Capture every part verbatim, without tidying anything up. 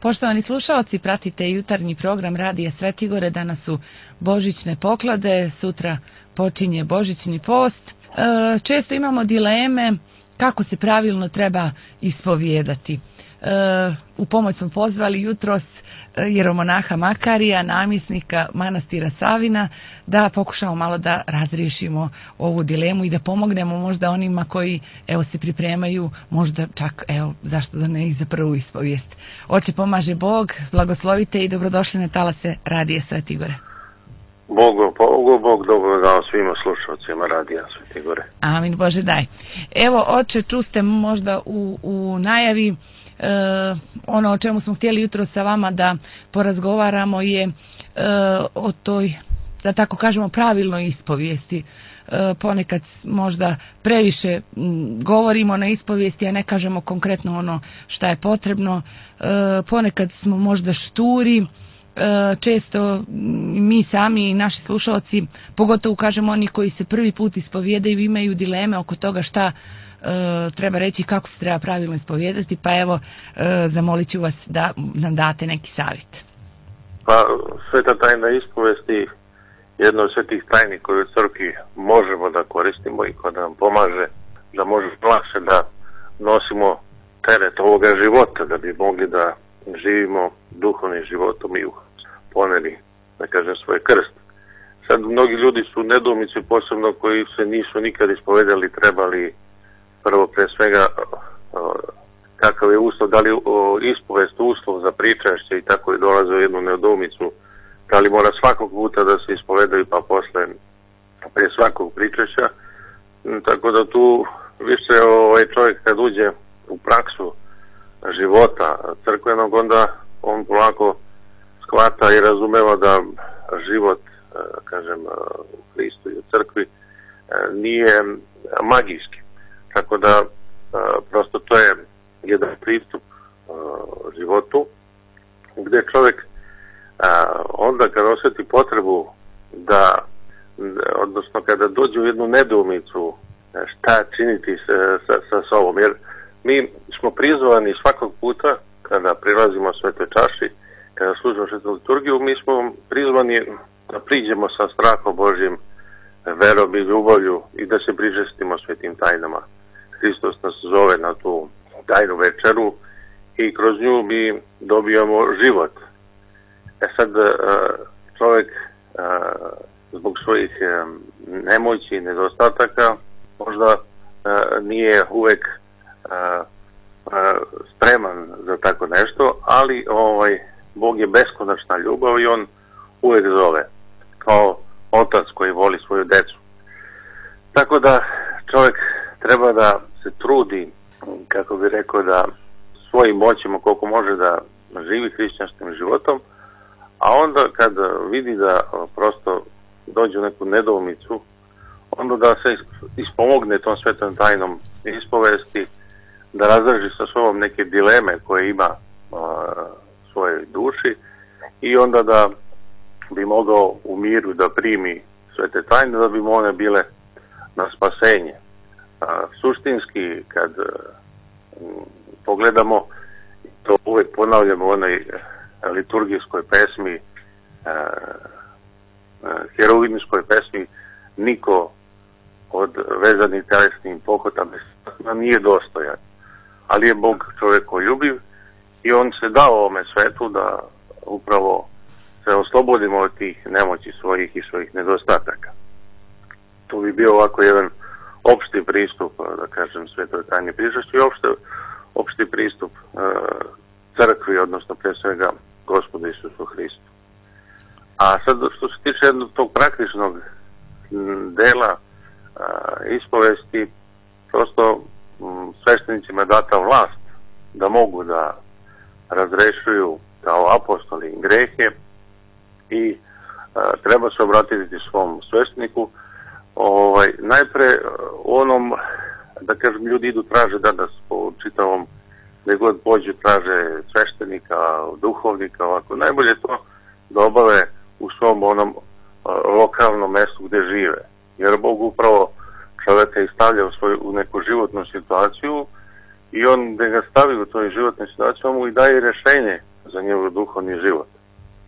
Poštovani slušalci, pratite jutarnji program Radija Svetigore. Danas su božićne poklade, sutra počinje božićni post. Često imamo dileme kako se pravilno treba ispovijedati. U pomoć smo pozvali jutros jeromonaha Makarija, namjesnika manastira Savina, da pokušamo malo da razriješimo ovu dilemu i da pomognemo možda onima koji evo se pripremaju, možda čak evo zašto da ne i za prvu ispovijest. Oče pomaže Bog, blagoslovite i dobrodošli na talase Radija Svetigore. Bogu, Bogu, Bog dobro dao svima slušalcima Radija Svetigore. Amin, Bože daj. Evo, oče, čuste možda u, u najavi E, ono o čemu smo htjeli jutro sa vama da porazgovaramo je e, o toj, da tako kažemo, pravilnoj ispovijesti. E, ponekad možda previše m, govorimo na ispovijesti, a ne kažemo konkretno ono šta je potrebno. E, ponekad smo možda šturi, e, često mi sami i naši slušalci, pogotovo kažemo oni koji se prvi put ispovijedaju, imaju dileme oko toga šta E, treba reći, kako se treba pravilno ispovijedati, pa evo e, zamolit ću vas da nam date neki savjet. Pa sveta tajna ispovesti, jedna od svetih tajni koju u crkvi možemo da koristimo i koja nam pomaže da možemo lakše da nosimo teret ovoga života, da bi mogli da živimo duhovnim životom i poneli, da kažem, svoj krst. Sad mnogi ljudi su nedoumici, posebno koji se nisu nikad ispovedali, trebali prvo pre svega kakav je uslov, da li ispovest uslov za pričašće i tako je dolaze u jednu nedoumicu, da li mora svakog puta da se ispovedaju pa posle pre svakog pričašća. Tako da tu više ovaj čovjek kad uđe u praksu života crkvenog, onda on polako shvata i razumeva da život, kažem, u Hristu i u crkvi nije magijski. Tako da, prosto to je jedan pristup životu, gde čovjek onda kada osjeti potrebu da, odnosno kada dođe u jednu nedoumicu šta činiti sa, sa, sa sobom, jer mi smo prizvani svakog puta kada prilazimo svetoj čaši, kada služimo svetu liturgiju, mi smo prizvani da priđemo sa strahom Božjim, verom i ljubavlju i da se prižestimo svetim tajnama. Hristos nas zove na tu tajnu večeru i kroz nju mi dobijamo život. E sad čovjek zbog svojih nemoći i nedostataka možda nije uvek spreman za tako nešto, ali ovaj Bog je beskonačna ljubav i on uvek zove kao otac koji voli svoju decu. Tako da čovjek treba da se trudi, kako bi rekao, da svojim moćima koliko može da živi hrišćanskim životom, a onda kad vidi da prosto dođe u neku nedoumicu, onda da se ispomogne tom svetom tajnom ispovesti, da razdraži sa sobom neke dileme koje ima u svojoj duši i onda da bi mogao u miru da primi svete tajne, da bi mu one bile na spasenje. A, suštinski, kad m, pogledamo, to uvek ponavljamo u onoj liturgijskoj pesmi, heroinskoj pesmi, niko od vezanih telesnim pohotama nije dostojan, ali je Bog čovjekoljubiv i on se dao ovome svetu da upravo se oslobodimo od tih nemoći svojih i svojih nedostataka. To bi bio ovako jedan opšti pristup, da kažem, svetoj tajni pričašću i opšte, opšti pristup e, crkvi, odnosno pre svega Gospodu Isusu Hristu. A sad što se tiče jednog tog praktičnog dela e, ispovesti, prosto m, sveštenicima je data vlast da mogu da razrešuju kao apostoli grehe i e, treba se obratiti svom svešteniku. Ovaj, najpre u onom, da kažem, ljudi idu traže danas po čitavom, gdje god pođu traže sveštenika, duhovnika, ovako, najbolje to da obave u svom onom lokalnom mestu gdje žive. Jer Bog upravo čovjeka i stavlja u, svoju, u neku životnu situaciju i on gdje ga stavi u toj životnoj situaciji, on mu i daje rješenje za njegov duhovni život.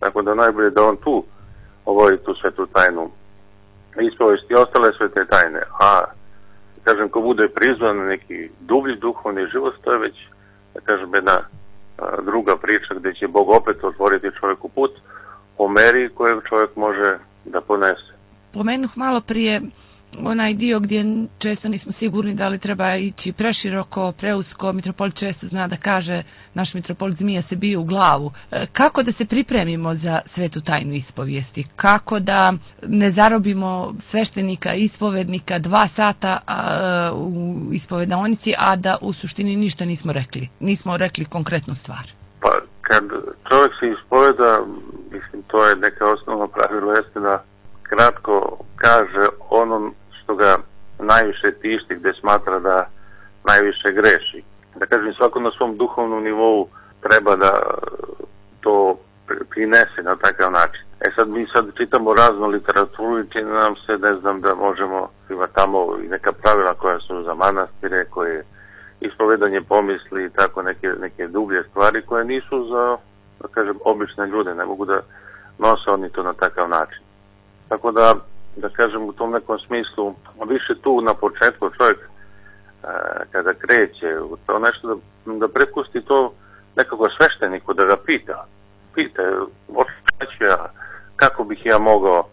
Tako da najbolje da on tu obavi tu svetu tajnu ispovesti i ostale svete tajne. A, kažem, ko bude prizvan na neki dublji duhovni život, to je već, da kažem, jedna a, druga priča gdje će Bog opet otvoriti čovjeku put po meri kojeg čovjek može da ponese. Pomenuh malo prije onaj dio gdje često nismo sigurni da li treba ići preširoko, preusko. Mitropolit često zna da kaže, naš mitropolit zmija se bije u glavu. Kako da se pripremimo za svetu tajnu ispovijesti? Kako da ne zarobimo sveštenika, ispovednika dva sata a, u ispovedonici, a da u suštini ništa nismo rekli? Nismo rekli konkretnu stvar. Pa kad čovjek se ispoveda, mislim, to je neka osnovno pravilo, jeste da kratko kaže ono što ga najviše tišti, gdje smatra da najviše greši. Da kažem, svako na svom duhovnom nivou treba da to prinese na takav način. E sad mi sad čitamo raznu literaturu i čini nam se, ne znam, da možemo, ima tamo i neka pravila koja su za manastire, koje ispovedanje pomisli i tako neke, neke dublje stvari koje nisu za, da kažem, obične ljude, ne mogu da nose oni to na takav način. Tako da, da kažem, u tom nekom smislu, više tu na početku čovjek e, kada kreće u to nešto, da, da prepusti to nekako svešteniku, da ga pita. Pita, šta ću ja, kako bih ja mogao,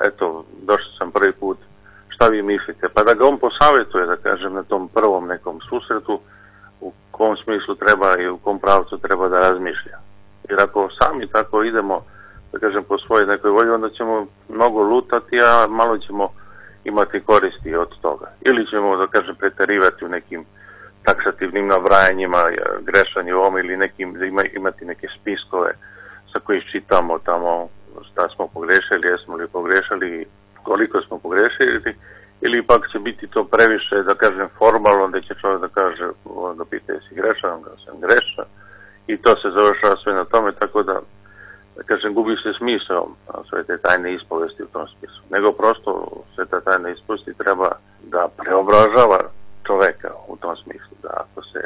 eto, došao sam prvi put, šta vi mislite, pa da ga on posavjetuje, da kažem, na tom prvom nekom susretu, u kom smislu treba i u kom pravcu treba da razmišlja. Jer ako sami tako idemo, da kažem, po svojoj nekoj volji, onda ćemo mnogo lutati, a malo ćemo imati koristi od toga. Ili ćemo, da kažem, preterivati u nekim taksativnim nabrajanjima, grešanje u ovom ili nekim, imati neke spiskove sa kojih čitamo tamo šta smo pogrešili, jesmo li pogrešili, koliko smo pogrešili, ili pak će biti to previše, da kažem, formalno, gdje će čovjek da kaže, da pita jesi grešan, da sam grešan, i to se završava sve na tome, tako da, da kažem, gubi se smisao sve te tajne ispovesti u tom smislu. Nego prosto sve te tajne ispovesti treba da preobražava čoveka u tom smislu, da ako se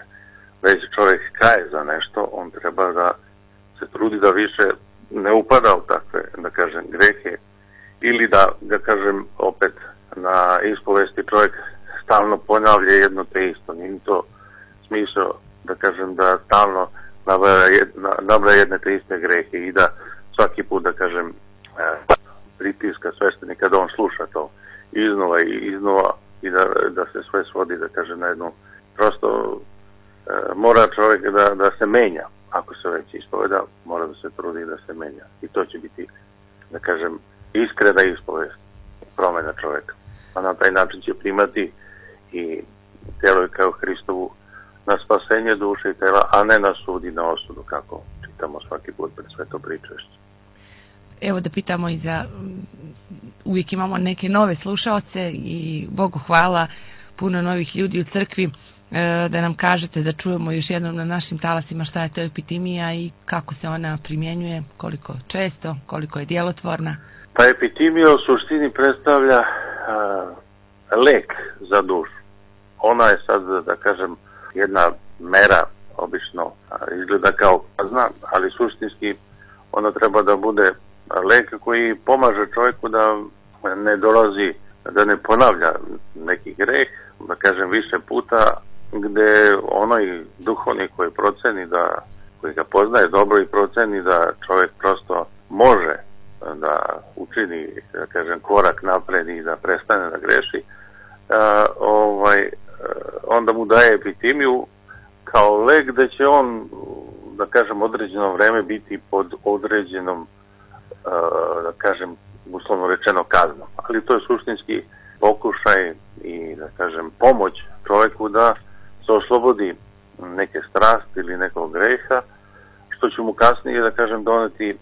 već čovjek kaje za nešto, on treba da se trudi da više ne upada u takve, da kažem, grehe, ili da, da kažem, opet na ispovesti čovjek stalno ponavlja jedno te isto. Nije to smisao, da kažem, da stalno nabraja jedne te iste grehe i da svaki put, da kažem, pritiska sveštenika da on sluša to iznova i iznova i da, da se sve svodi, da kažem, na jednu, prosto mora čovjek da, da se menja. Ako se već ispoveda, mora da se trudi da se menja. I to će biti, da kažem, iskrena ispovest, promjena čovjeka. A na taj način će primati i telo je kao Hristovu na spasenje duše i tela, a ne na sud i na osudu, kako čitamo svaki put pred sveto pričešće. Evo da pitamo i za, uvijek imamo neke nove slušaoce i Bogu hvala, puno novih ljudi u crkvi, da nam kažete, da čujemo još jednom na našim talasima šta je to epitimija i kako se ona primjenjuje, koliko često, koliko je djelotvorna. Pa epitimija u suštini predstavlja a, lek za dušu. Ona je sad, da kažem, jedna mera, obično a, izgleda kao kazna, ali suštinski ona treba da bude lek koji pomaže čovjeku da ne dolazi, da ne ponavlja neki greh, da kažem, više puta, gdje onaj duhovnik koji proceni da, koji ga poznaje dobro i proceni da čovjek prosto može da učini, da kažem, korak napred i da prestane da greši, a, ovaj, onda mu daje epitimiju kao lek da će on, da kažem, određeno vreme biti pod određenom, a, da kažem, uslovno rečeno kaznom. Ali to je suštinski pokušaj i, da kažem, pomoć čovjeku da se oslobodi neke strasti ili nekog greha, što će mu kasnije, da kažem, doneti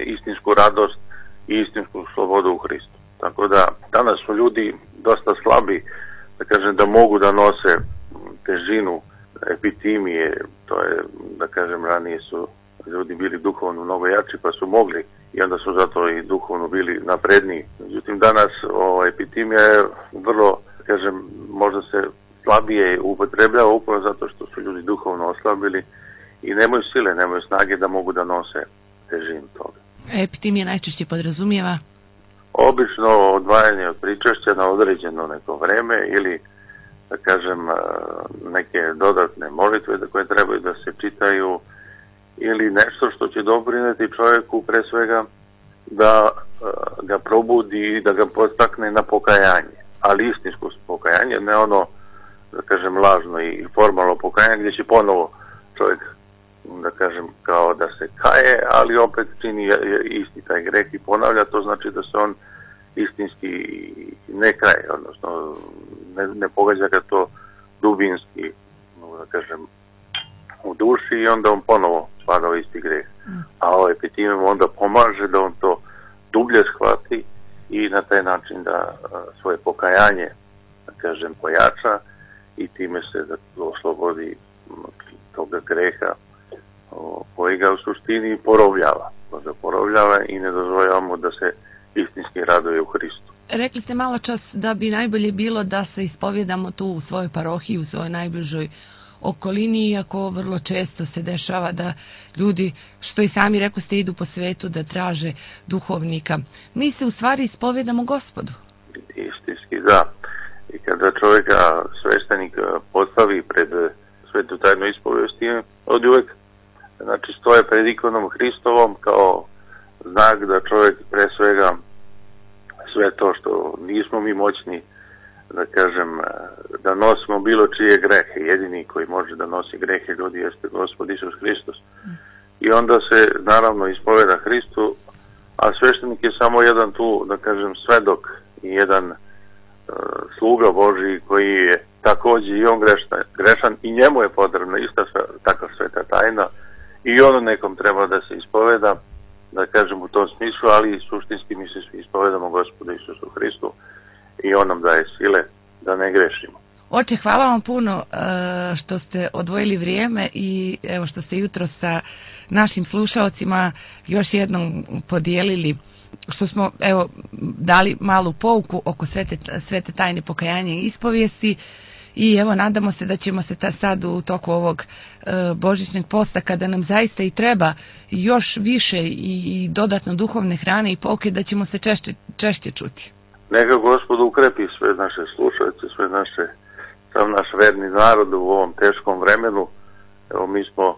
istinsku radost i istinsku slobodu u Hristu. Tako da danas su ljudi dosta slabi, da kažem, da mogu da nose težinu epitimije. To je, da kažem, ranije su ljudi bili duhovno mnogo jači pa su mogli i onda su zato i duhovno bili napredniji. Međutim, danas o, epitimija je vrlo, da kažem, možda se slabije upotrebljava upravo zato što su ljudi duhovno oslabili i nemaju sile, nemaju snage da mogu da nose težinu toga. Epitimija najčešće podrazumijeva? Obično odvajanje od pričešća na određeno neko vreme ili, da kažem, neke dodatne molitve koje trebaju da se čitaju ili nešto što će doprineti čovjeku pre svega da ga probudi i da ga podstakne na pokajanje, ali istinsko pokajanje, ne ono, da kažem, lažno i formalno pokajanje gdje će ponovo čovjek, da kažem, kao da se kaje, ali opet čini isti taj greh i ponavlja, to znači da se on istinski ne kaje, odnosno ne, ne pogađa ga to dubinski, da kažem, u duši i onda on ponovo spada u isti greh. A ovaj epitimem onda pomaže da on to dublje shvati i na taj način da svoje pokajanje, da kažem, pojača i time se da oslobodi toga greha koji ga u suštini porobljava. Koji ga porobljava i ne dozvoljavamo da se istinski raduje u Hristu. Rekli ste malo čas da bi najbolje bilo da se ispovjedamo tu u svojoj parohiji, u svojoj najbližoj okolini, iako vrlo često se dešava da ljudi, što i sami rekli ste, idu po svetu da traže duhovnika. Mi se u stvari ispovjedamo Gospodu. Istinski, da. I kada čovjeka sveštenik postavi pred svetu tajnu ispovijesti, od uvek, znači, stoje pred ikonom Hristovom kao znak da čovjek pre svega sve to što nismo mi moćni, da kažem, da nosimo bilo čije grehe. Jedini koji može da nosi grehe ljudi jeste Gospod Isus Hristos. I onda se naravno ispoveda Hristu, a sveštenik je samo jedan tu, da kažem, svedok i jedan uh, sluga Božiji koji je također i on grešan, grešan i njemu je potrebna ista takva sveta tajna i ono nekom treba da se ispoveda, da kažem, u tom smislu, ali suštinski mi se svi ispovedamo Gospodu Isusu Hristu i on nam daje sile da ne grešimo. Oče, hvala vam puno što ste odvojili vrijeme i evo što ste jutro sa našim slušalcima još jednom podijelili, što smo evo dali malu pouku oko svete, svete tajne pokajanja i ispovijesti. I evo, nadamo se da ćemo se ta sad u toku ovog e, božićnog posta, kada nam zaista i treba još više i, i dodatno duhovne hrane i pouke, da ćemo se češće, češće čuti. Neka Gospod ukrepi sve naše slušalce, sve naše, sav naš verni narod u ovom teškom vremenu. Evo, mi smo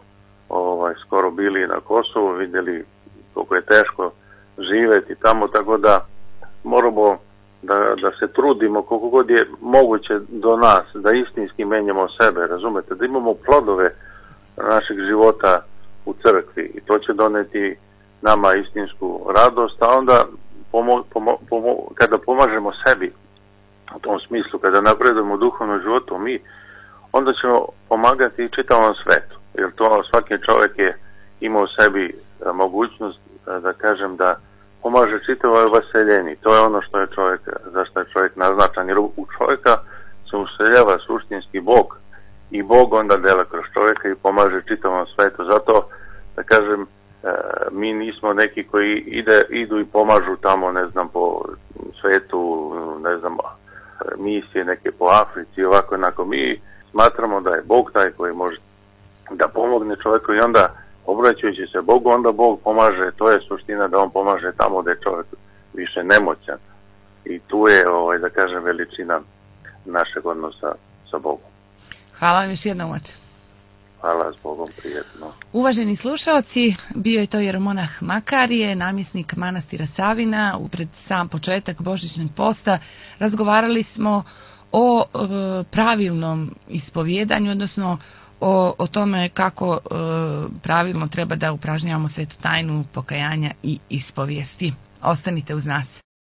ovaj, skoro bili na Kosovu, vidjeli koliko je teško živjeti tamo, tako da moramo Da, da se trudimo koliko god je moguće do nas, da istinski menjamo sebe, razumete, da imamo plodove našeg života u crkvi i to će doneti nama istinsku radost, a onda pomo, pomo, pomo, kada pomažemo sebi u tom smislu, kada napredujemo u duhovnom životu mi, onda ćemo pomagati i čitavom svetu, jer to svaki čovjek je imao u sebi mogućnost, da kažem, da pomaže čitavoj vaseljeni. To je ono što je čovjek, zašto je čovjek naznačan, jer u čovjeka se useljava suštinski Bog i Bog onda dela kroz čovjeka i pomaže čitavom svetu. Zato, da kažem, mi nismo neki koji ide, idu i pomažu tamo, ne znam, po svetu, ne znam, misije neke po Africi, ovako, onako. Mi smatramo da je Bog taj koji može da pomogne čovjeku i onda obraćajući se Bogu, onda Bog pomaže, to je suština da on pomaže tamo da je čovjek više nemoćan. I tu je, ovaj, da kažem, veličina našeg odnosa sa Bogom. Hvala vam još jednom, oče. Hvala, s Bogom, prijetno. Uvaženi slušalci, bio je to jeromonah Makarije, namjesnik manastira Savina. Upred sam početak božićnog posta razgovarali smo o e, pravilnom ispovjedanju, odnosno O, o tome kako e, pravilno treba da upražnjavamo svetu tajnu pokajanja i ispovijesti. Ostanite uz nas.